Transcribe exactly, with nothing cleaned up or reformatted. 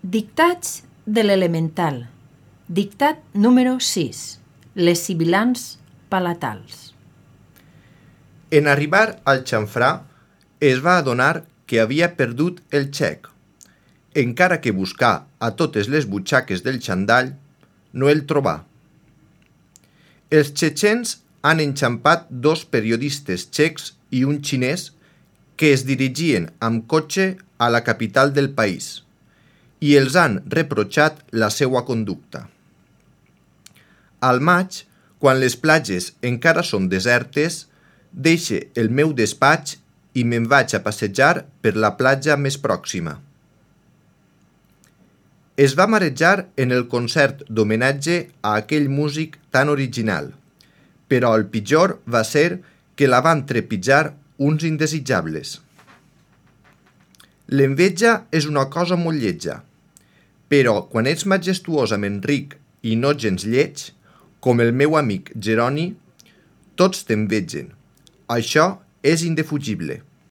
Dictats de l'elemental. Dictat número sis. Les sibilants palatals. En arribar al xamfrà, es va adonar que havia perdut el xec. Encara que buscà a totes les butxaques del xandall, no el trobà. Els txetxens han enxampat dos periodistes txecs i un xinès que es dirigien amb cotxe a la capital del país i els han reprotxat la seua conducta. Al maig, quan les platges encara són desertes, deixe el meu despatx i me'n vaig a passejar per la platja més pròxima. Es va marejar en el concert d'homenatge a aquell músic tan original, però el pitjor va ser que la van trepitjar uns indesitjables. L'enveja és una cosa molt lletja, però quan ets majestuosament ric i no gens lleig, com el meu amic Jeroni, tots t'envegen. Això és indefugible.